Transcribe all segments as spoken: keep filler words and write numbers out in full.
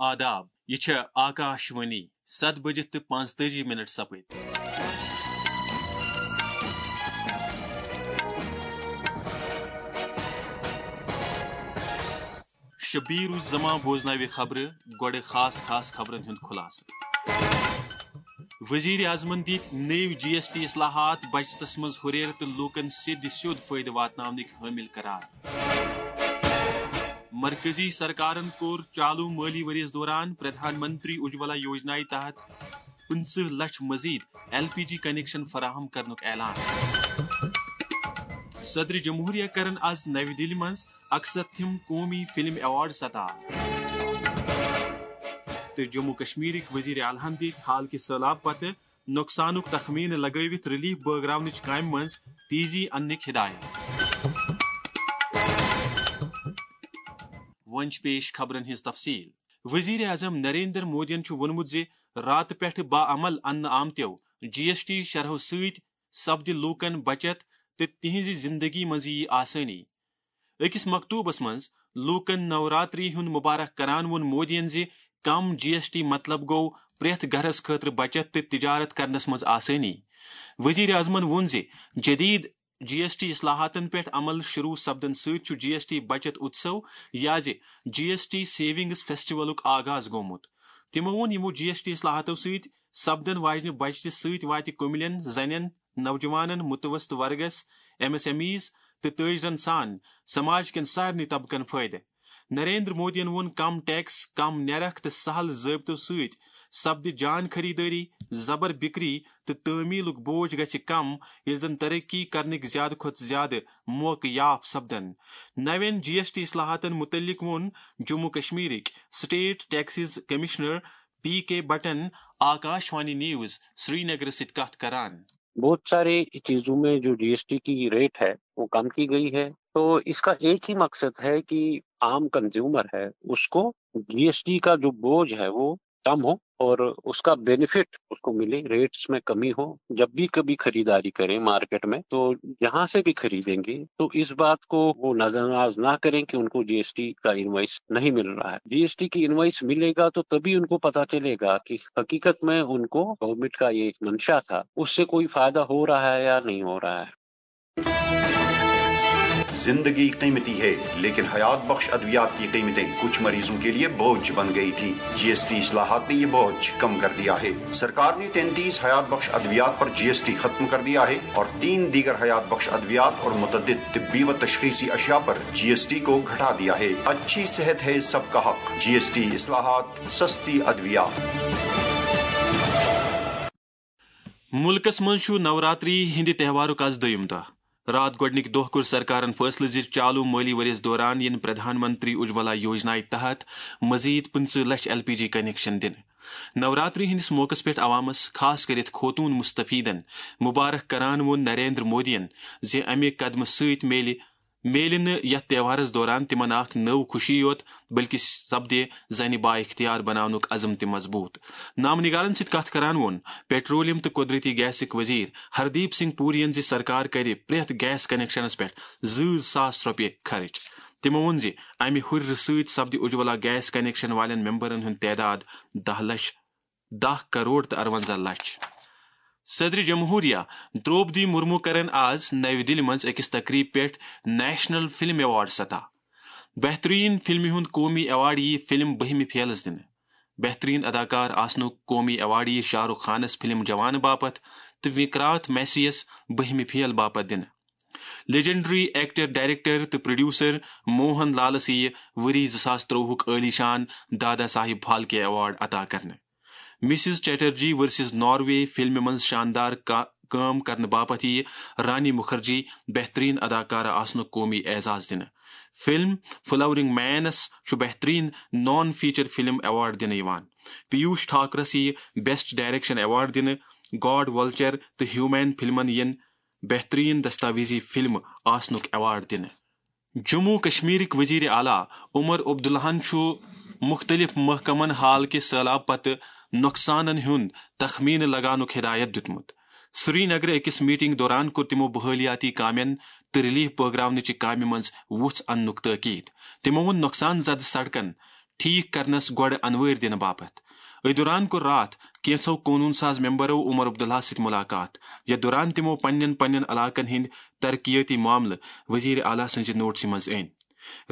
آداب، یہِ چھےٚ آکاش وانی، ستھ بجِتھ تہٕ پانٛژتٲجی منٹ سپٕدۍ۔ شبیر الزمان بوزناوِ خبرٕ، گۄڈٕ خاص خاص خبرن ہُنٛد خلاصہٕ۔ وزیر اعظمن دِتۍ نٔوۍ جی ایس ٹی اصلاحات بجٹس منٛز ہُرٮ۪ر تہٕ لوٗکن سیٚدِ سیوٚد فٲیدٕ واتناونٕکۍ حٲمل قرار۔ مرکزی سرکارن کوٚر چالو مٲلی ؤریَس دوران پردھان منتری اجولا یوجنایہِ تحت پٕنٛژٕہ لچھ مزید ایل پی جی کنیکشن فراہم کرنُک اعلان۔ صدر جمہوریہ کرن از نوِ دِلہِ منٛز اکستھم قومی فلم ایوارڈ سطح۔ تہٕ جموں کشمیرٕکۍ وزیر اعلیٰ ہن دِتۍ حال کہِ سٔہلاب پتہٕ نۄقصانُک تخمینہٕ لگٲوِتھ ریلیف بٲگراونٕچ کامہِ منٛز تیزی اننٕکۍ ہدایت۔ وۄنۍ چھِ پیش خبرن ہٕنٛز تفصیل۔ وزیر اعظم نریندر مودیَن چھُ ووٚنمُت زِ راتہٕ پٮ۪ٹھٕ باعمل اننہٕ آمتیو جی ایس ٹی شرحو سۭتۍ سپدِ لوٗکن بچت تہٕ تِہنٛزِ زندگی منٛز یِیہِ آسٲنی۔ أکِس مکتوبس منٛز لوٗکن نوراتری ہُنٛد مبارک کران ووٚن مودیَن زِ کم جی ایس ٹی مطلب گوٚو پرٛٮ۪تھ گرس خٲطرٕ بچت تہٕ تجارت کرنس منٛز آسٲنی۔ وزیر اعظمن ووٚن زِ جدید جی ایس ٹی اصلاحاتن پٮ۪ٹھ عمل شروع سپدن سۭتۍ چھُ جی ایس ٹی بچت اتسو یا زِ جی ایس ٹی سیونگز فیسٹیولُک آغاز گوٚمُت۔ تِمو ووٚن، یِمو جی ایس ٹی اصلاحاتو سۭتۍ سپدن واجنہِ بچتہِ سۭتۍ واتہِ کُملٮ۪ن، زنٮ۪ن، نوجوانن، متوسط ورگس، ایم ایس ایم ایز تہٕ تٲجرن سان سماج کٮ۪ن سارنٕے طبقن فٲیدٕ۔ نریندر مودیَن ووٚن، کم ٹیکس، کم نیرخ تہٕ سہل ضٲبطو سۭتۍ سپدِ جان خریدٲری، زبر بکری تہٕ تعمیلُک بوج گژھِ کم، ییٚلہِ زن ترقی کرنٕکۍ زیادٕ کھۄتہٕ زیادٕ موقعہٕ یاف سپدن۔ نوٮ۪ن جی ایس ٹی اصلاحاتن متعلق ووٚن جموں کشمیرٕکۍ state taxes commissioner P K بٹن آکاش وانی نیوز سرینگر سۭتۍ کتھ کران۔ बहुत सारी चीजों में जो जीएसटी की रेट है, वो कम की गई है। तो इसका एक ही मकसद है कि आम कंज्यूमर है, उसको जीएसटी का जो बोझ है, वो कम हो और उसका बेनिफिट उसको मिले, रेट्स में कमी हो। जब भी कभी खरीदारी करें मार्केट में, तो जहां से भी खरीदेंगे, तो इस बात को वो नजरअंदाज ना करें कि उनको जीएसटी का इनवॉइस नहीं मिल रहा है। जीएसटी की इनवॉइस मिलेगा, तो तभी उनको पता चलेगा कि हकीकत में उनको गवर्नमेंट का ये मंशा था, उससे कोई फायदा हो रहा है या नहीं हो रहा है। जिंदगी कीमती है, लेकिन हयात बख्श अद्वियात की कीमतें कुछ मरीजों के लिए बोझ बन गई थी। जीएसटी इस्लाहात ने ये बोझ कम कर दिया है। सरकार ने तैंतीस हयात बख्श अद्वियात पर जीएसटी खत्म कर दिया है और तीन दीगर हयात बख्श अद्वियात और मुतअद्दिद तिब्बी व तशखीसी अशिया पर जीएसटी को घटा दिया है। अच्छी सेहत है सबका हक। जीएसटी इस्लाहात, सस्ती अद्वियात। مُلکَس منٛز چھُ نوراتری ہٕنٛدِ تہوارُک آز دوٚیُم دۄہ۔ راتھ گۄڈٕنِکۍ دۄہ کوٚر سرکارَن فٲصلہٕ زِ چالو مٲلی ؤرِیَس دوران یِن پردھان منتری اجولا یوجنایہِ تحت مزید پٕنٛژٕہ لچھ ایل پی جی کنیکشن دِنہٕ۔ نوراتری ہٕنٛدِس موقعس پٮ۪ٹھ عوامَس، خاص کٔرِتھ خوتوٗن مستفیدَن، مبارک کران ووٚن نریندر مودیَن زِ اَمہِ قدمہٕ سۭتۍ میلہِ میلہِ نہٕ یتھ تہوارس دوران تِمن اکھ نٔو خوشی یوت، بلکہِ سپدِ زنہِ با اختیار بناونُک عزم تہِ مضبوط۔ نامہ نگارن سۭتۍ کتھ کران ووٚن پیٹرولیم تہٕ قدرتی گیسٕکۍ وزیر ہردیپ سنگھ پوری ین زِ سرکار کرِ پرٛٮ۪تھ گیس کنیکشنس پٮ۪ٹھ زٕ ساس رۄپیہِ خرٕچ۔ تِمو ووٚن زِ امہِ ہُرِرٕ سۭتۍ سپدِ اجولا گیس کنیکشن والٮ۪ن ممبرن ہُنٛد تعداد دَہ لچھ، دَہ کروڑ تہٕ اَرونٛزاہ لچھ۔ صدر جمہوریہ درٛوپدی مرمو کرن آز نَوِ دِلہِ منٛز أکِس تقریٖب پٮ۪ٹھ نیشنل فلم ایوارڈ سطح۔ بہترین فلمہِ ہُنٛد قومی ایوارڈ یِیہِ فلم بہمہِ فیلس دِنہٕ۔ بہترین اداکار آسنُک قومی ایوارڈ یِیہِ شاہ رخ خانس فلم جوان باپتھ تہٕ وکرانت میسیَس بہمہِ فیل باپتھ دِنہٕ۔ لیجنڈری ایکٹر، ڈائریکٹر تہٕ پروڈیوسر موہن لالس یِیہِ ؤری زٕ ساس ترٛۆوُہُک عٲلی شان دادا صاحب پھالکے ایوارڈ عطا کرنہٕ۔ مسز چیٹرجی ورسز ناروے فلمہِ منٛز شاندار کا-، کٲم کرنہٕ باپتھ یِیہِ رانی مُکھرجی بہترین اداکارہ آسنُک قومی اعزاز دِنہٕ۔ فلم فلاورنگ مینس چھُ بہترین نان فیچر فلم ایوارڈ دِنہٕ یِوان۔ پیوش ٹھاکرس یِیہِ بیسٹ ڈائریکشن ایوارڈ دِنہٕ۔ گاڈ ولچر تہٕ ہیومین فلمن یِن بہترین دستاویزی فلم آسنُک ایوارڈ دِنہٕ۔ جموں کشمیرٕکۍ وزیر اعلیٰ عمر عبداللہَن چھُ مُختٔلِف محکمَن حال کہِ سٔہلاب پتہٕ نۄقصانَن ہُنٛد تخمینہٕ لگاونُک ہدایت دِیُتمُت۔ سری نگرٕ أکِس میٹنگ دوران کوٚر تِمَو بحالیاتی کامٮ۪ن تہٕ ریلیف بٲگراونٕچہِ کامہِ منٛز وُژھ اننُک تٲکید۔ تِمَو ووٚن نۄقصان زدٕ سڑکَن، ٹھیک کرنس گۄڈٕ انوٲرۍ دِنہٕ باپتھ۔ أتھۍ دوران کوٚر راتھ کینٛژھو قونوٗن ساز ممبرو عمر عبداللہ سۭتۍ ملاقات، یتھ دوران تِمو پننٮ۪ن پننٮ۪ن علاقن ہٕنٛدۍ ترقیٲتی معاملہٕ وزیر اعلیٰ سٕنٛزِ نوٹسہِ منٛز أنۍ۔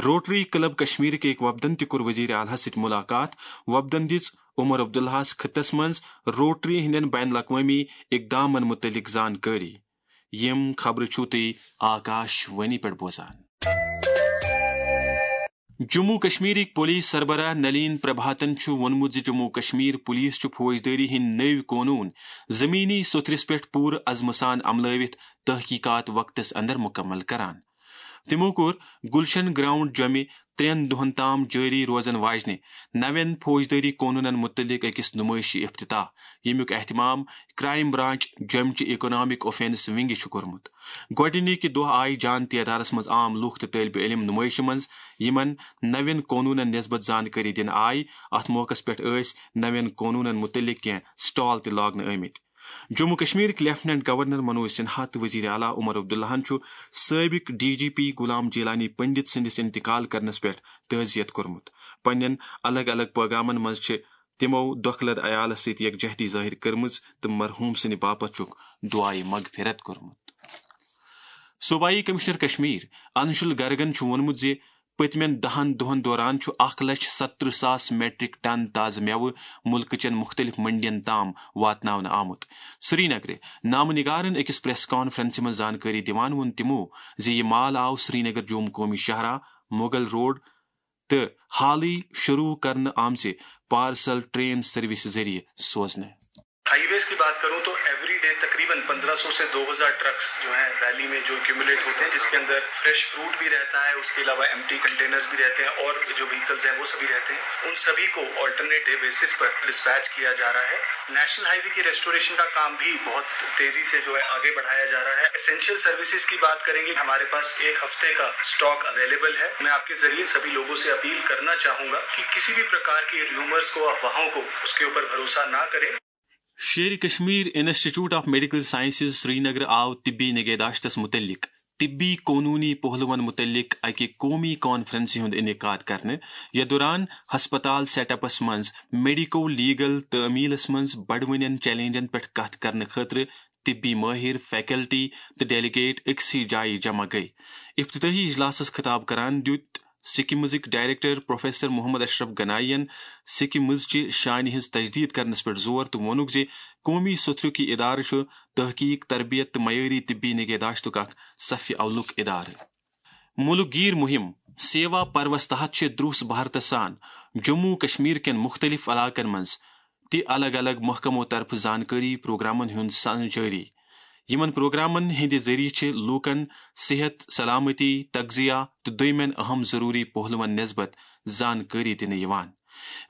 روٹری کلب کشمیرٕکۍ أکۍ وفدن تہِ کوٚر وزیر اعلیٰ سۭتۍ ملاقات۔ وفدن دِژ عمر عبداللہس خطس منٛز روٹری ہٕنٛدٮ۪ن بین الاقوٲمی اقدامن متعلق زانکٲری۔ یِم خبرٕ چھِو تُہۍ آکاش وانی پٮ۪ٹھ بوزان۔ جموں کشمیرٕکۍ پولیس سربراہ نلین پربھاتن چھُ ووٚنمُت زِ جموں کشمیر پولیس چھُ فوجدٲری ہٕنٛدۍ نٔوۍ قونوٗن زمینی سوٚتھرِس پٮ۪ٹھ پوٗرٕ عزمہٕ سان عملٲوِتھ تحقیقات وقتس اندر مکمل کران۔ تِمو کوٚر گلشن گراؤنڈ جۄمہِ ترٛٮ۪ن دۄہن تام جٲری روزن واجنہِ نوٮ۪ن فوجدٲری قونوٗنن مُتعلق أکِس نُمٲیشہِ افتتاح، ییٚمیُک اہتمام کرائم برانچ جۄمہِ چہِ اکنامک اوفینس ونگہِ چھُ کوٚرمُت۔ گۄڈٕنِکہِ دۄہ آیہِ جان تعدادس منٛز عام لوٗکھ تہٕ طٲلبہِ علم نُمٲیشہِ منٛز یِمن نوٮ۪ن قونوٗنن نسبت زانکٲری دِنہٕ آیہِ۔ اتھ موقعس پٮ۪ٹھ ٲسۍ نوٮ۪ن قونوٗنن مُتعلق کینٛہہ سٹال تہِ لاگنہٕ آمٕتۍ۔ جموں کشمیرٕکۍ لیفٹیننٹ گورنر منوج سنہا تہٕ وزیر اعلیٰ عمر عبداللہن چھُ سٲبق D G P Ghulam Jeelani Pandit سٕنٛدِس انتقال کرنس پٮ۪ٹھ تعزیت کوٚرمُت۔ پننٮ۪ن الگ الگ پیغامن منٛز چھِ تِمو دۄکھٕ لد عیالس سۭتۍ یکجہتی ظٲہر کٔرمٕژ تہٕ مرحوم سٕنٛدِ باپتھ چھُکھ دعایہِ مغفرت کوٚرمُت۔ صوبائی کمشنر کشمیر انشل گرگن چھُ ووٚنمُت زِ پٔتمٮ۪ن دَہن دۄہن دوران چھُ اکھ لچھ ستترٕہ ساس میٹرک ٹن تازٕ مٮ۪وٕ مُلکہٕ چٮ۪ن مُختٔلِف منڈین تام واتناونہٕ آمُت۔ سرینگرٕ نامہٕ نگارن أکِس پریس کانفرنسہِ منٛز زانکٲری دِوان ووٚن تِمو زِ یہِ مال آو سرینگر جوم قومی شاہراہ، مغل روڈ تہٕ حالٕے شروع کرنہٕ آمژِ پارسل ٹرین سروسہِ ذٔریعہٕ سوزنہٕ۔ ہائی ویز کی بات کروں تو ایوری ڈے تقریباً پندرہ سو سے دو ہزار ٹرکس جو ہیں ویلی میں جو ایکومولیٹ ہوتے ہیں، جس کے اندر فریش فروٹ بھی رہتا ہے، اس کے علاوہ ایمٹی کنٹینرز بھی رہتے ہیں اور جو وہیکلز ہیں وہ سبھی رہتے ہیں۔ ان سبھی کو آلٹرنیٹ ڈے بیسس پر ڈسپیچ کیا جا رہا ہے۔ نیشنل ہائی وے کی ریسٹوریشن کا کام بھی بہت تیزی سے جو ہے آگے بڑھایا جا رہا ہے۔ اسینشل سروسز کی بات کریں گے، ہمارے پاس ایک ہفتے کا اسٹاک اویلیبل ہے۔ میں آپ کے ذریعے سبھی لوگوں سے اپیل کرنا چاہوں گا کہ کسی بھی پرکار کی ریومرز کو، افواہوں کو، اس کے اوپر بھروسہ نہ کریں۔ Sher Kashmir institute of medical sciences Srinagar آو طبی نگہداشتس متعلق طبی قونوٗنی پہلوَن مُتعلِق اَکہِ قومی کانفرنسہِ ہُنٛد انعقاد کرنہٕ، یَتھ دوران ہسپتال سیٹ اپس منٛز میڈیکو لیگل تعمیلس منٛز بڑوٕنٮ۪ن چیلنجن پٮ۪ٹھ کتھ کرنہٕ خٲطرٕ طبی مٲہِر، فیکلٹی تہٕ ڈیلیگیٹ أکسٕے جایہِ جمع گٔیہِ۔ افتتاحی اجلاسس خطاب کران دِیُت سکمزٕکۍ ڈائریکٹر پروفیسر محمد اشرف گنائی ین سکمز چہِ شانہِ ہٕنٛز تجدید کرنس پٮ۪ٹھ زور تہٕ ووٚنُکھ زِ قومی سوٚتھرُک یہِ ادارٕ چھُ تحقیق، تربیت تہٕ معیٲری طبی نگہداشتُک اکھ صف اولُک ادارٕ۔ مُلک گیر مُہِم سیوا پروَس تحت چھِ دروس بھارتس سان جموں کشمیر کٮ۪ن مُختٔلِف علاقن منٛز تہِ الگ الگ محکمو طرفہٕ زانکٲری پروگرامن ہُنٛد سنہٕ جٲری۔ یِمن پروگرامن ہٕنٛدِ ذٔریعہٕ چھِ لوٗکن صحت، سلامتی، تغذیہ تہٕ دوٚیمٮ۪ن اہم ضروٗری پہلوَن نسبت زانکٲری دِنہٕ یِوان۔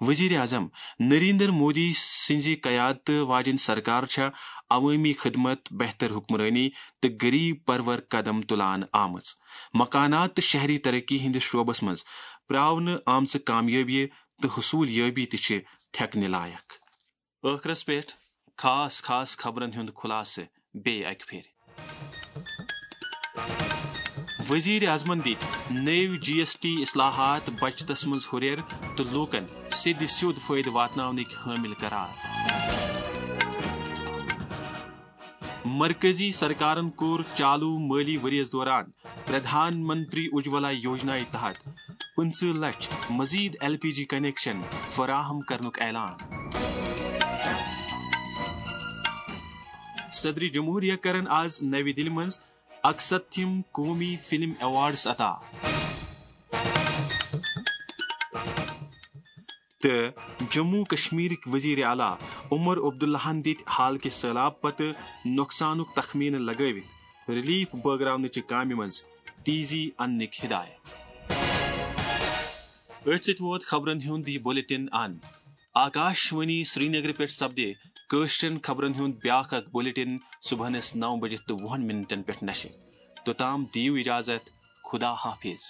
وزیر اعظم نریندر مودی سٕنٛزِ قیادتہٕ واجٮ۪ن سرکار چھےٚ عوٲمی خدمت، بہتر حکمرٲنی تہٕ غریب پرور قدم تُلان آمٕژ۔ مکانات تہٕ شہری ترقی ہٕنٛدِس شعبس منٛز پراونہٕ آمژٕ کامیٲبی تہٕ حصوٗل یٲبی تہِ چھِ تھٮ۪کنہٕ لایق۔ ٲخرس پٮ۪ٹھ خاص خاص خبرن ہُنٛد خلاصہٕ بیٚیہِ اکہِ پھِرِ۔ وزیر اعظمن دِتۍ نٔوۍ جی ایس ٹی اصلاحات بچتس منٛز ہُرٮ۪ر تہٕ لوٗکن سیٚدِ سیوٚد فٲیدٕ واتناونٕکۍ حٲمِل قرار۔ مرکزی سرکارن کوٚر چالو مٲلی ؤریَس دوران پردھان منتری اجولا یوجنا تحت پٕنٛژٕہ لچھ مزید ایل پی جی کنیکشن فراہم کرنُک اعلان۔ صدر جمہوریہ کرن آز نوِ دِلہِ منٛز اکستتھم قومی فلم ایوارڈز عطا۔ تہٕ جموں کشمیرٕکۍ وزیر اعلیٰ عمر عبداللہن دِتۍ حالکہِ سٔہلاب پتہٕ نۄقصانُک تخمینہٕ لگٲوِتھ ریلیف بٲگراونٕچہِ کامہِ منٛز تیزی اننٕکۍ ہدایت۔ أتھۍ سۭتۍ ووت خبرن ہُنٛد یہِ بلیٹن اند۔ آکاش وانی سرینگرٕ پٮ۪ٹھ سپدِ کٲشرٮ۪ن خبرن ہُنٛد بیاکھ اکھ بلیٹن صبحنس نو بجہِ تہٕ وُہن منٹن پٮ۪ٹھ نشر۔ توٚتام دِیِو اجازت، خدا حافظ۔